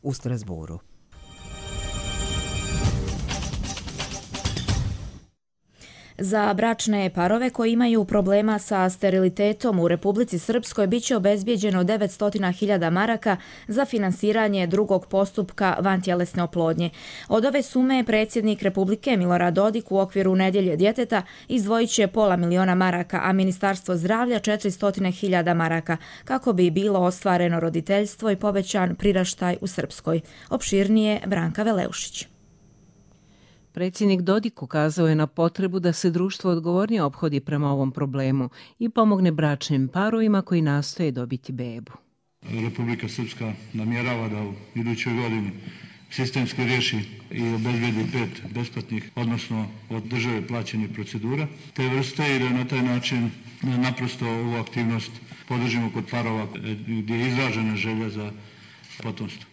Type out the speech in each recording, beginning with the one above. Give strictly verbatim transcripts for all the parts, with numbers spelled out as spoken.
u Strasburu. Za bračne parove koji imaju problema sa sterilitetom u Republici Srpskoj biće obezbijeđeno devetsto hiljada maraka za finansiranje drugog postupka vantjelesne oplodnje. Od ove sume predsjednik Republike Milorad Dodik u okviru Nedjelje djeteta izdvojit će pola miliona maraka, a Ministarstvo zdravlja četiristo hiljada maraka, kako bi bilo ostvareno roditeljstvo i povećan priraštaj u Srpskoj. Opširnije Branka Veleušić. Predsjednik Dodik ukazao je na potrebu da se društvo odgovornije ophodi prema ovom problemu i pomogne bračnim parovima koji nastoje dobiti bebu. Republika Srpska namjerava da u idućoj godini sistemski riješi i obezbijedi pet besplatnih, odnosno od države plaćenih procedura te vrste i da na taj način naprosto ovu aktivnost podržimo kod parova gdje je izražena želja za potomstvo.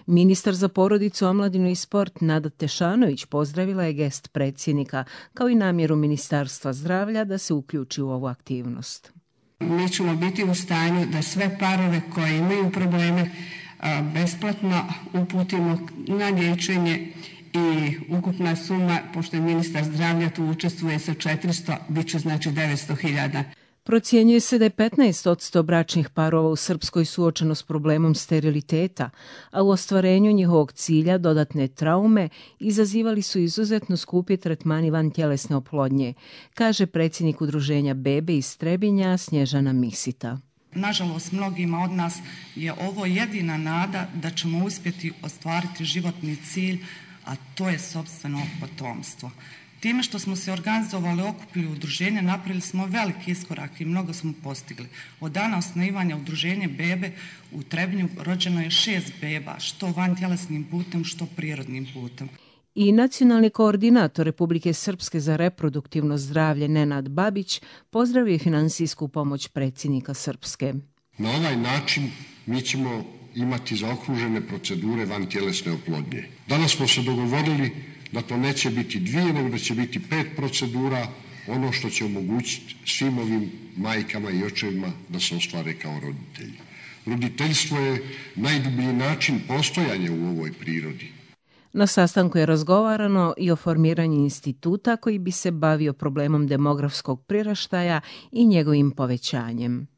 Ministar za porodicu, omladinu i sport Nada Tešanović pozdravila je gest predsjednika kao i namjeru Ministarstva zdravlja da se uključi u ovu aktivnost. Mi ćemo biti u stanju da sve parove koji imaju probleme besplatno uputimo na liječenje i ukupna suma, pošto je ministar zdravlja tu učestvuje sa četiristo, bit će znači devetsto hiljada. Procjenjuje se da je petnaest posto bračnih parova u Srpskoj suočeno s problemom steriliteta, a u ostvarenju njihovog cilja dodatne traume izazivali su izuzetno skupi tretmani vantjelesne oplodnje, kaže predsjednik udruženja Bebe iz Trebinja Snježana Misita. Nažalost, mnogima od nas je ovo jedina nada da ćemo uspjeti ostvariti životni cilj, a to je sopstveno potomstvo. Time što smo se organizovali, okupili udruženje, napravili smo veliki iskorak i mnogo smo postigli. Od dana osnivanja udruženja Bebe u Trebinju rođeno je šest beba, što vantjelesnim putem, što prirodnim putem. I nacionalni koordinator Republike Srpske za reproduktivno zdravlje Nenad Babić pozdravio finansijsku pomoć predsjednika Srpske. Na ovaj način mi ćemo imati zaokružene procedure vantjelesne oplodnje. Danas smo se dogovorili da to neće biti dvije, nego da će biti pet procedura, ono što će omogućiti svim ovim majkama i očevima da se ostvare kao roditelji. Roditeljstvo je najdublji način postojanja u ovoj prirodi. Na sastanku je razgovarano i o formiranju instituta koji bi se bavio problemom demografskog priraštaja i njegovim povećanjem.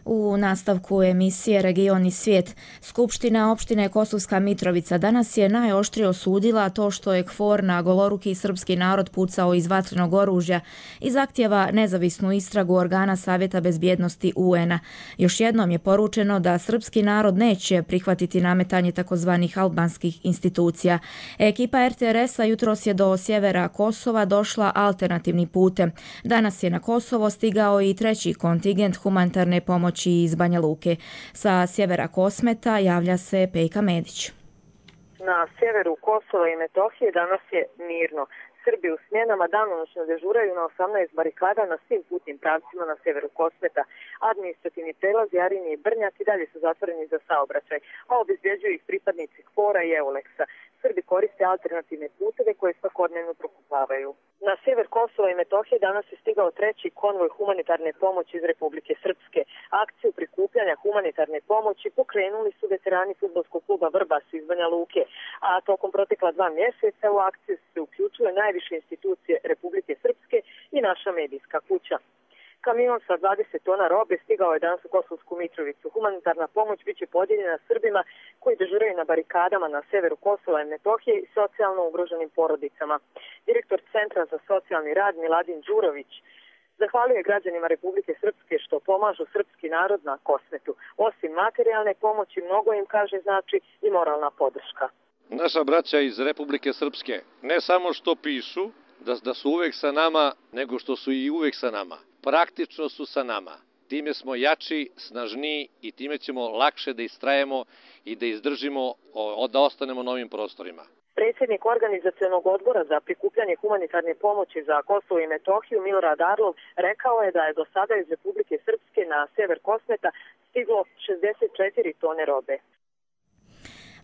U nastavku emisije Region i svijet, Skupština opštine Kosovska Mitrovica danas je najoštrije osudila to što je KFOR na goloruki srpski narod pucao iz vatrenog oružja i zahtjeva nezavisnu istragu organa Savjeta bezbjednosti U N-a. Još jednom je poručeno da srpski narod neće prihvatiti nametanje takozvanih albanskih institucija. Ekipa R T R S-a jutros je do sjevera Kosova došla alternativnim putem. Danas je na Kosovo stigao i treći kontingent humanitarne pomoći iz Banja Luke. Sa sjevera Kosmeta javlja se Pejka Medić. Na sjeveru Kosova i Metohije danas je mirno. Srbi u smjenama danonoćno dežuraju na osamnaest barikada na svim putnim pravcima na sjeveru Kosmeta. Administrativni prelazi Arinje i Brnjak i dalje su zatvoreni za saobraćaj, a obezbjeđuju ih pripadnici KFOR-a i EULEX-a. Srbi koriste alternativne puteve koje svakodnevno prokupavaju. Na sjever Kosova i Metohije danas je stigao treći konvoj humanitarne pomoći iz Republike Srpske. Akciju prikupljanja humanitarne pomoći pokrenuli su veterani fudbalskog kluba Vrbas iz Banja Luke, a tokom protekla dva mjeseca u akciju su se uključile najviše institucije Republike Srpske i naša medijska kuća. Kamion sa dvadeset tona robe stigao je danas u Kosovsku Mitrovicu. Humanitarna pomoć biće podijeljena Srbima koji dežuraju na barikadama na severu Kosova i Metohije i socijalno ugroženim porodicama. Direktor Centra za socijalni rad Miladin Đurović zahvaljuje građanima Republike Srpske što pomažu srpski narod na Kosmetu. Osim materijalne pomoći, mnogo im, kaže, znači i moralna podrška. Naša braća iz Republike Srpske ne samo što pišu da, da su uvek sa nama, nego što su i uvek sa nama. Praktično su sa nama. Time smo jači, snažniji i time ćemo lakše da istrajemo i da izdržimo, da ostanemo na ovim prostorima. Predsjednik organizacionog odbora za prikupljanje humanitarne pomoći za Kosovo i Metohiju Milorad Arlov rekao je da je do sada iz Republike Srpske na sever Kosmeta stiglo šezdeset četiri tone robe.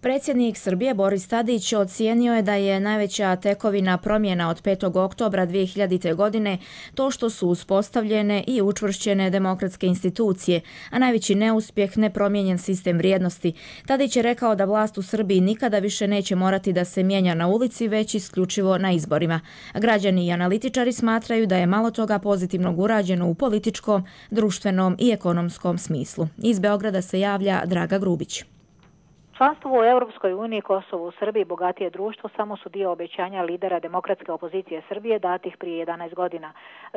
Predsjednik Srbije Boris Tadić ocijenio je da je najveća tekovina promjena od petog oktobra dvije hiljadite. godine to što su uspostavljene i učvršćene demokratske institucije, a najveći neuspjeh nepromijenjen sistem vrijednosti. Tadić je rekao da vlast u Srbiji nikada više neće morati da se mijenja na ulici, već isključivo na izborima. Građani i analitičari smatraju da je malo toga pozitivnog urađeno u političkom, društvenom i ekonomskom smislu. Iz Beograda se javlja Draga Grubić. Članstvo u Europskoj uniji, Kosovo u Srbiji, bogatije društvo samo su dio obećanja lidera demokratske opozicije Srbije datih prije jedanaest godina.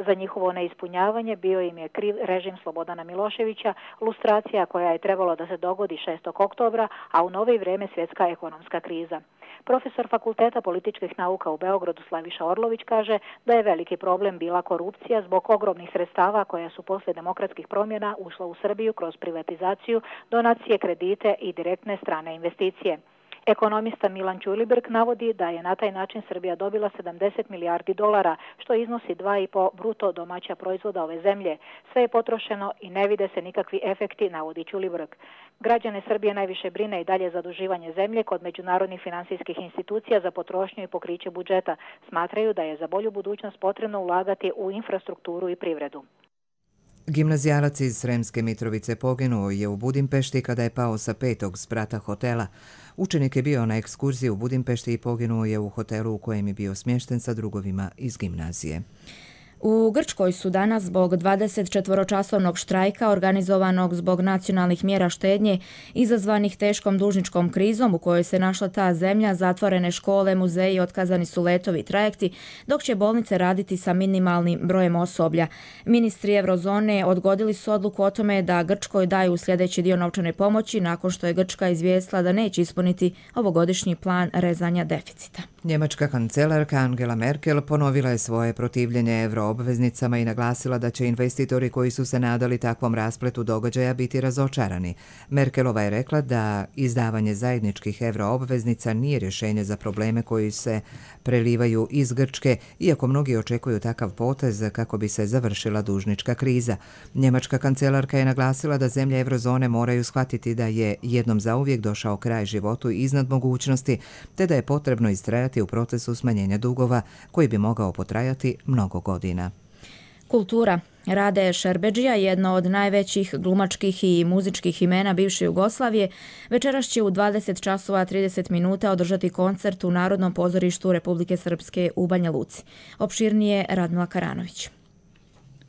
Za njihovo neispunjavanje bio im je kriv režim Slobodana Miloševića, lustracija koja je trebalo da se dogodi šestog oktobra, a u novo vrijeme svjetska ekonomska kriza. Profesor Fakulteta političkih nauka u Beogradu Slaviša Orlović kaže da je veliki problem bila korupcija zbog ogromnih sredstava koja su poslije demokratskih promjena ušla u Srbiju kroz privatizaciju, donacije, kredite i direktne strane investicije. Ekonomista Milan Ćulibrk navodi da je na taj način Srbija dobila sedamdeset milijardi dolara, što iznosi dva i po bruto domaća proizvoda ove zemlje. Sve je potrošeno i ne vide se nikakvi efekti, navodi Ćulibrk. Građane Srbije najviše brine i dalje zaduživanje zemlje kod međunarodnih financijskih institucija za potrošnju i pokriće budžeta. Smatraju da je za bolju budućnost potrebno ulagati u infrastrukturu i privredu. Gimnazijalac iz Sremske Mitrovice poginuo je u Budimpešti kada je pao sa petog sprata hotela. Učenik je bio na ekskurziji u Budimpešti i poginuo je u hotelu u kojem je bio smješten sa drugovima iz gimnazije. U Grčkoj su danas zbog dvadesetčetvoročasovnog štrajka organizovanog zbog nacionalnih mjera štednje izazvanih teškom dužničkom krizom u kojoj se našla ta zemlja, zatvorene škole, muzeji, otkazani su letovi i trajekti, dok će bolnice raditi sa minimalnim brojem osoblja. Ministri Eurozone odgodili su odluku o tome da Grčkoj daju sljedeći dio novčane pomoći nakon što je Grčka izvijestila da neće ispuniti ovogodišnji plan rezanja deficita. Njemačka kancelarka Angela Merkel ponovila je svoje protivljenje euroobveznicama i naglasila da će investitori koji su se nadali takvom raspletu događaja biti razočarani. Merkelova je rekla da izdavanje zajedničkih euroobveznica nije rješenje za probleme koji se prelivaju iz Grčke, iako mnogi očekuju takav potez kako bi se završila dužnička kriza. Njemačka kancelarka je naglasila da zemlje eurozone moraju shvatiti da je jednom zauvijek došao kraj životu iznad mogućnosti, te da je potrebno istrajati u procesu smanjenja dugova koji bi mogao potrajati mnogo godina. Kultura. Rade Šerbedžija, jedno od najvećih glumačkih i muzičkih imena bivše Jugoslavije, večeras će u dvadeset časova trideset minuta održati koncert u Narodnom pozorištu Republike Srpske u Banja Luci. Opširnije Radmila Karanović.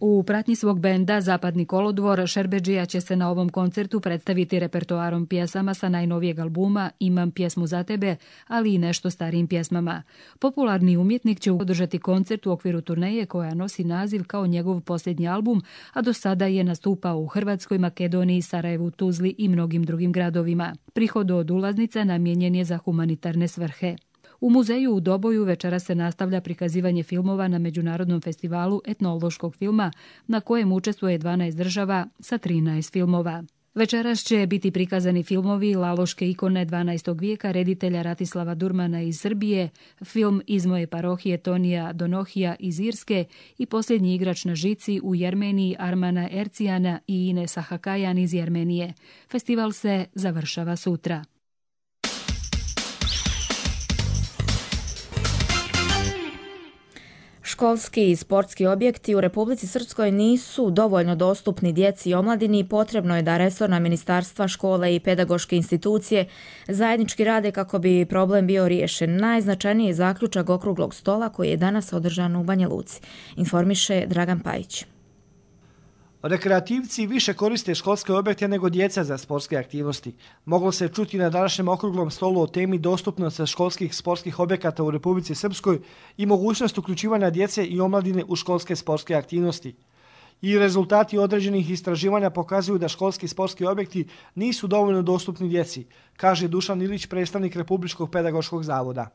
U pratnji svog benda Zapadni kolodvor, Šerbedžija će se na ovom koncertu predstaviti repertoarom pjesama sa najnovijeg albuma Imam pjesmu za tebe, ali i nešto starijim pjesmama. Popularni umjetnik će održati koncert u okviru turneje koja nosi naziv kao njegov posljednji album, a do sada je nastupao u Hrvatskoj, Makedoniji, Sarajevu, Tuzli i mnogim drugim gradovima. Prihod od ulaznica namijenjen je za humanitarne svrhe. U muzeju u Doboju večera se nastavlja prikazivanje filmova na Međunarodnom festivalu etnološkog filma na kojem učestvuje dvanaest država sa trinaest filmova. Večeras će biti prikazani filmovi Laloške ikone dvanaestog vijeka reditelja Ratislava Durmana iz Srbije, film Iz moje parohije Tonija Donohija iz Irske i Posljednji igrač na žici u Jermeniji Armana Ercijana i Inesa Hakajan iz Jermenije. Festival se završava sutra. Školski i sportski objekti u Republici Srpskoj nisu dovoljno dostupni djeci i omladini i potrebno je da resorna ministarstva, škole i pedagoške institucije zajednički rade kako bi problem bio riješen. Najznačajniji je zaključak okruglog stola koji je danas održan u Banja Luci, informiše Dragan Pajić. Rekreativci više koriste školske objekte nego djeca za sportske aktivnosti. Moglo se čuti na današnjem okruglom stolu o temi dostupnosti školskih sportskih objekata u Republici Srpskoj i mogućnost uključivanja djece i omladine u školske sportske aktivnosti. I rezultati određenih istraživanja pokazuju da školski sportski objekti nisu dovoljno dostupni djeci, kaže Dušan Ilić, predstavnik Republičkog pedagoškog zavoda.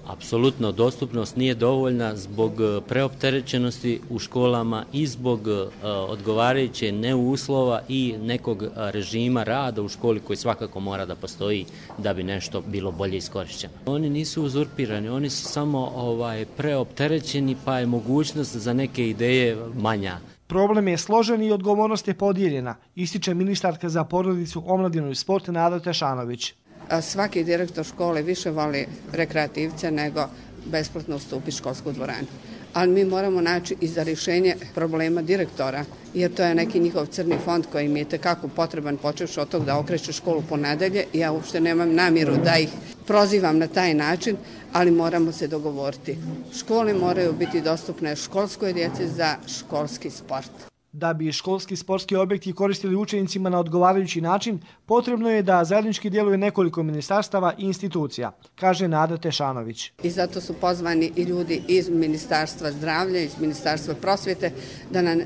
Apsolutno dostupnost nije dovoljna zbog preopterećenosti u školama i zbog odgovarajuće neuslova i nekog režima rada u školi koji svakako mora da postoji da bi nešto bilo bolje iskorišćeno. Oni nisu uzurpirani, oni su samo ovaj, preopterećeni pa je mogućnost za neke ideje manja. Problem je složen i odgovornost je podijeljena, ističe ministarka za porodicu, omladinu i sport Nada Tešanović. svaki direktor škole više voli rekreativce nego besplatno ustupiti školsku dvoranu. Ali mi moramo naći i za rješenje problema direktora, jer to je neki njihov crni fond koji im je tekako potreban, počevši od tog da okreće školu po nedelje. Ja uopšte nemam namjeru da ih prozivam na taj način, ali moramo se dogovoriti. Škole moraju biti dostupne školskoj djeci za školski sport. Da bi školski sportski objekti koristili učenicima na odgovarajući način, potrebno je da zajednički djeluje nekoliko ministarstava i institucija, kaže Nada Tešanović. I zato su pozvani i ljudi iz Ministarstva zdravlja, iz Ministarstva prosvjete, da nam,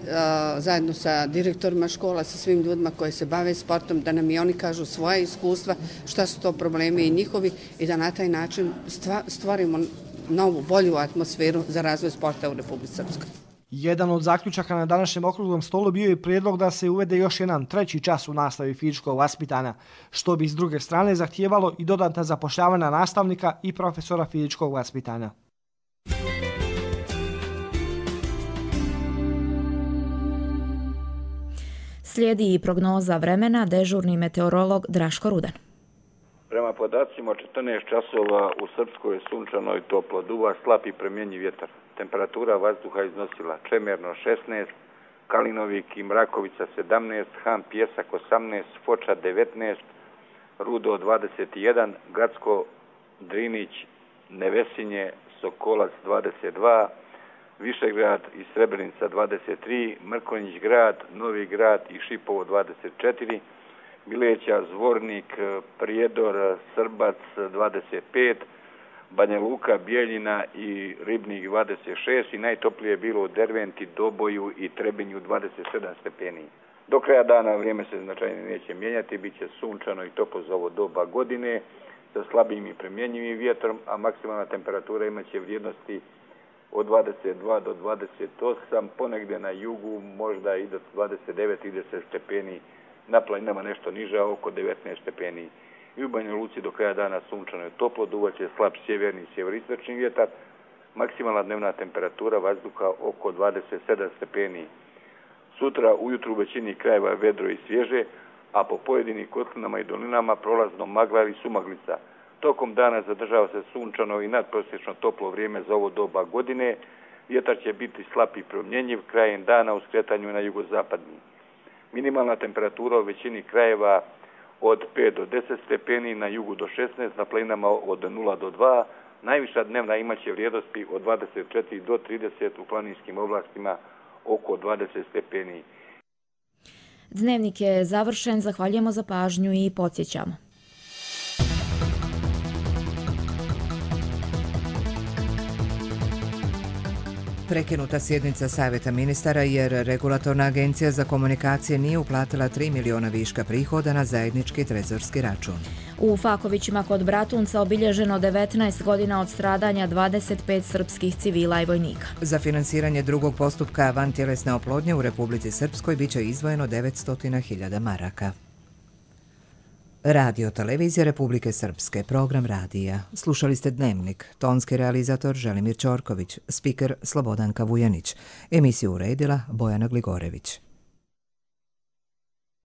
zajedno sa direktorima škola, sa svim ljudima koji se bave sportom, da nam i oni kažu svoje iskustva, šta su to problemi i njihovi i da na taj način stvorimo novu, bolju atmosferu za razvoj sporta u Republici Srpskoj. Jedan od zaključaka na današnjem okruglom stolu bio je prijedlog da se uvede još jedan treći čas u nastavi fizičkog vaspitanja, što bi s druge strane zahtijevalo i dodatna zapošljavanja nastavnika i profesora fizičkog vaspitanja. Slijedi i prognoza vremena, dežurni meteorolog Draško Rudan. Prema podacima četrnaest časova u Srpskoj je sunčano i toplo, duva slab i premjenjiv vjetar. Temperatura vazduha iznosila Čemerno šesnaest, Kalinovik i Mrakovica sedamnaest, Han Pjesak osamnaest, Foča devetnaest, Rudo dvadeset jedan, Gacko, Drinić, Nevesinje, Sokolac dvadeset dva, Višegrad i Srebrenica dvadeset tri, Mrkonjić grad, Novi grad i Šipovo dvadeset četiri, Bileća, Zvornik, Prijedor, Srbac dvadeset pet, Banja Luka, Bijeljina i Ribnik dvadeset šest i najtoplije je bilo u Derventi, Doboju i Trebinju dvadeset sedam stepeni. Do kraja dana vrijeme se značajno neće mijenjati, bit će sunčano i toplo za ovo doba godine sa slabim i premjenjivim vjetrom, a maksimalna temperatura imat će vrijednosti od dvadeset dva do dvadeset osam, ponegdje na jugu možda i do dvadeset devet do trideset stepeni, na planinama nešto niže, oko devetnaest stepeni. I u Banja Luci do kraja dana sunčano je toplo, duvaće slab sjeverni i sjeveristočni vjetar, maksimalna dnevna temperatura vazduha oko dvadeset sedam stepeni. Sutra ujutru u većini krajeva vedro i svježe, a po pojedinim kotlinama i dolinama prolazno magla ili sumaglica. Tokom dana zadržava se sunčano i nadprosječno toplo vrijeme za ovo doba godine, vjetar će biti slab i promjenjiv krajem dana u skretanju na jugozapadni. Minimalna temperatura u većini krajeva od pet do deset stepeni, na jugu do šesnaest, na planinama od nula do dva, najviša dnevna imaće vrijednosti od dvadeset četiri do trideset, u planinskim oblastima oko dvadeset stepeni. Dnevnik je završen, zahvaljujemo za pažnju i podsjećamo. Prekinuta sjednica Savjeta ministara jer Regulatorna agencija za komunikacije nije uplatila tri miliona viška prihoda na zajednički trezorski račun. U Fakovićima kod Bratunca obilježeno devetnaest godina od stradanja dvadeset pet srpskih civila i vojnika. Za finansiranje drugog postupka vantjelesne oplodnje u Republici Srpskoj biće izdvojeno devetsto hiljada maraka. Radio Televizija Republike Srpske, program radija. Slušali ste Dnevnik, tonski realizator Želimir Ćorković, spiker Slobodanka Vujanić, emisiju uredila Bojana Gligorević.